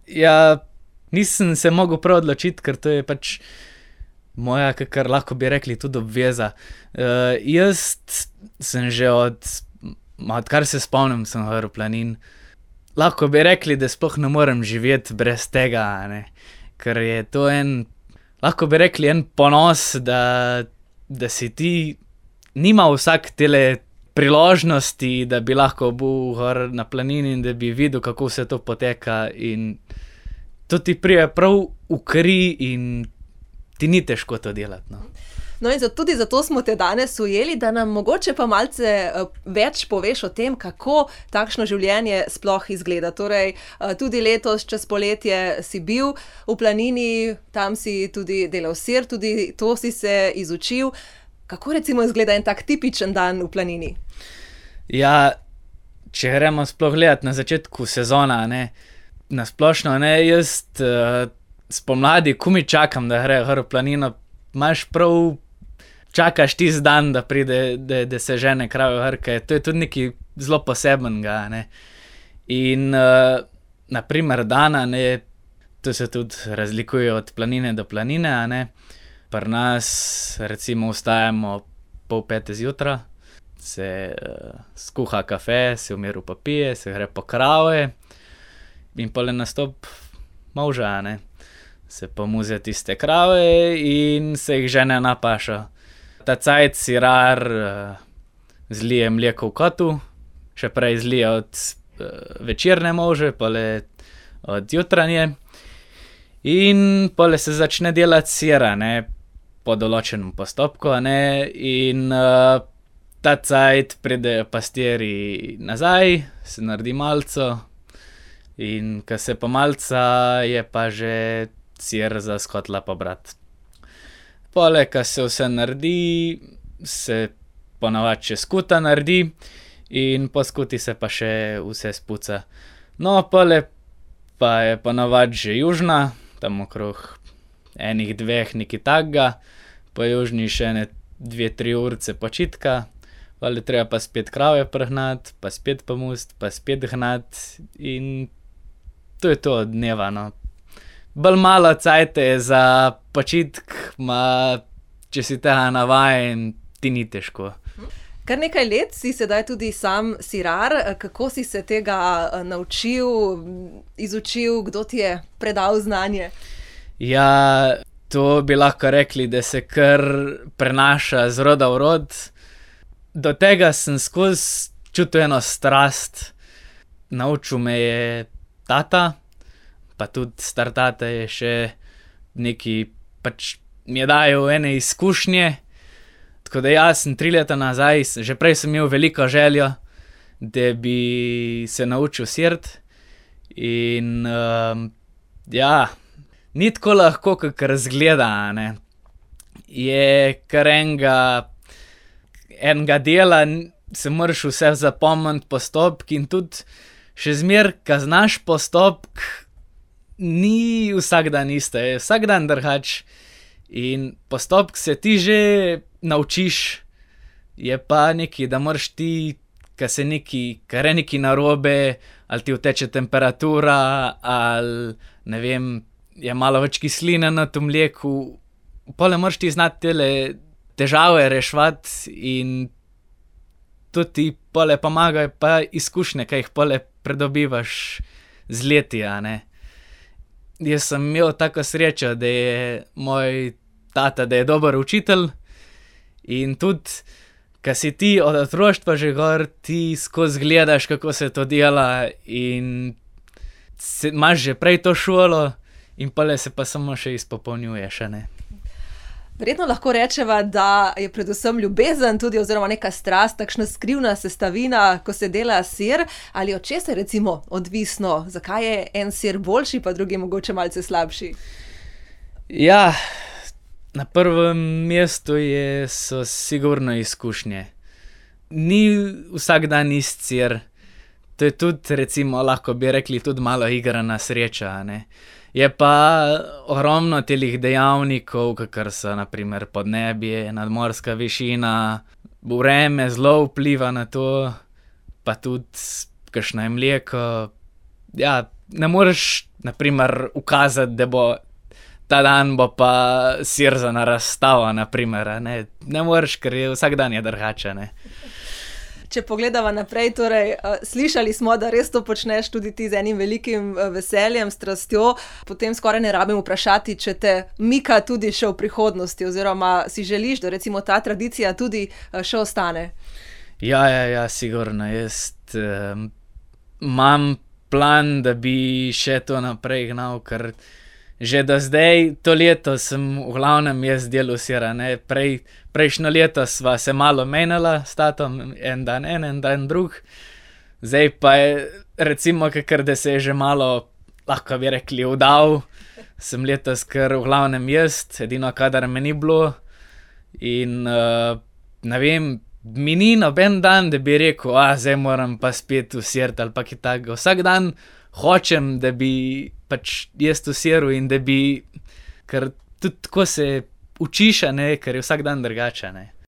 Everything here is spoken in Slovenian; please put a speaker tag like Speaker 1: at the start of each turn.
Speaker 1: Ja, nisem se mogel prav odločiti, ker to je pač moja, kar lahko bi rekli, tudi obveza. Jaz sem že odkar se spomnim, sem hodil v planin. Lahko bi rekli, da sploh ne morem živeti brez tega, a ne. Ker je to lahko bi rekli, en ponos, da si ti, nima vsak tele priložnosti, da bi lahko bil gor na planini in da bi videl, kako vse to poteka, in to ti pride prav v kri in ti ni težko to delati, no.
Speaker 2: No, in tudi zato smo te danes ujeli, da nam mogoče pa malce več poveš o tem, kako takšno življenje sploh izgleda. Torej, tudi letos čez poletje si bil v planini, tam si tudi delal sir, tudi to si se izučil. Kako recimo izgleda en tak tipičen dan v planini?
Speaker 1: Ja, če gremo sploh gledati na začetku sezona, ne, na splošno, ne, jaz spomladi komaj čakam, da gre gor v planino. Imaš prav, čakaš tisti dan, da pride, da se žene krave gor, ker to je tudi nekaj zelo posebnega, ne. In na primer dana, ne, to se tudi razlikuje od planine do planine, a ne. Pri nas recimo vstajamo 4:30 zjutraj, se skuha kafe, se v miru popije, se gre po krave in pol je nastop molža, a ne. Se pomuzijo tiste krave in se jih žene na pašo. Ta cajt sirar zlije mleko v kotu, še prej zlije od večerne molže, pol od jutranje. In pol se začne delati sir, a ne, po določenem postopku, a ne, in ta cajt pridejo pastirji nazaj, se naredi malco in ko se pomalca, je pa že sir za s kotla pobrati. Poleg, ko se vse naredi, se ponavadi še skuta naredi in po skuti se pa še vse spuca. No, poleg pa je ponavadi že južina, tam okrog 1-2, nekaj takega, po južini še 2-3 urice počitka, pol je treba pa spet krave pregnati, pa spet pomust, pa spet gnati in to je to od dneva, no. Bolj malo cajta je za počitk, če si tega navajen, ti ni težko.
Speaker 2: Kar nekaj let si sedaj tudi sam sirar. Kako si se tega naučil, izučil, kdo ti je predal znanje?
Speaker 1: Ja, to bi lahko rekli, da se kar prenaša z roda v rod. Do tega sem skozi čutil eno strast. Naučil me je tata, pa tudi star tata je še nekaj, pač mi je dajal ene izkušnje. Tako da jaz sem 3 leta nazaj, že prej sem imel veliko željo, da bi se naučil sirati. In ja, ni tako lahko, kakor izgleda, a ne. Je kar enega dela, se moraš vse zapomniti, postopki, in tudi še zmeraj, ko znaš postopek, ni vsak dan isto, je vsak dan drugače. In postopek se ti že naučiš, je pa nekaj, da moraš ti, ko je nekaj narobe, ali ti uteče temperatura, ali ne vem, je malo več kisline na tem mleku, pol moraš ti znati tele težave reševati in to ti pol pomagajo pa izkušnje, ki jih pol pridobivaš z leti, a ne. Jaz sem imel tako srečo, da je moj tata, da je dober učitelj, in tudi, ko si ti od otroštva že gor, ti skozi gledaš, kako se to dela, in imaš že prej to šolo in pol se pa samo še izpopolnjuješ, a ne.
Speaker 2: Verjetno lahko rečeva, da je predvsem ljubezen tudi oziroma neka strast, takšna skrivna sestavina, ko se dela sir. Ali od česa je recimo odvisno? Zakaj je en sir boljši, pa drugi mogoče malce slabši?
Speaker 1: Ja, na prvem mestu so sigurno izkušnje. Ni vsak dan ist sir. To je tudi recimo, lahko bi rekli, tudi malo igra na srečo, a ne. Je pa ogromno telih dejavnikov, kakor so na primer podnebje, nadmorska višina, vreme zelo vpliva na to, pa tudi kakšno je mleko. Ja, ne moreš, naprimer, ukazati, da bo ta dan bo pa sirzana razstava, naprimer, a ne. Ne moreš, ker je vsak dan je drugače, ne.
Speaker 2: Če pogledava naprej, torej, slišali smo, da res to počneš tudi ti z enim velikim veseljem, strastjo, potem skoraj ne rabim vprašati, če te mika tudi še v prihodnosti, oziroma si želiš, da recimo ta tradicija tudi še ostane.
Speaker 1: Ja, sigurno. Jaz imam plan, da bi še to naprej gnal, ker že do zdaj, to leto sem v glavnem jaz delal sir, a ne. Prejšnjo leto sva se malo menjala s tatom, en dan drug. Zdaj pa je recimo, kakor da se je že malo, lahko bi rekli, vdal, sem letos kar v glavnem jaz, edino kadar me ni bilo. In ne vem, mi ni noben dan, da bi rekel, zdaj moram pa spet v sirt ali pa kaj takega. Vsak dan hočem, da bi pač jaz v siru in da bi, ker tudi tako se učiš, a ne, ker je vsak dan drugače, ne.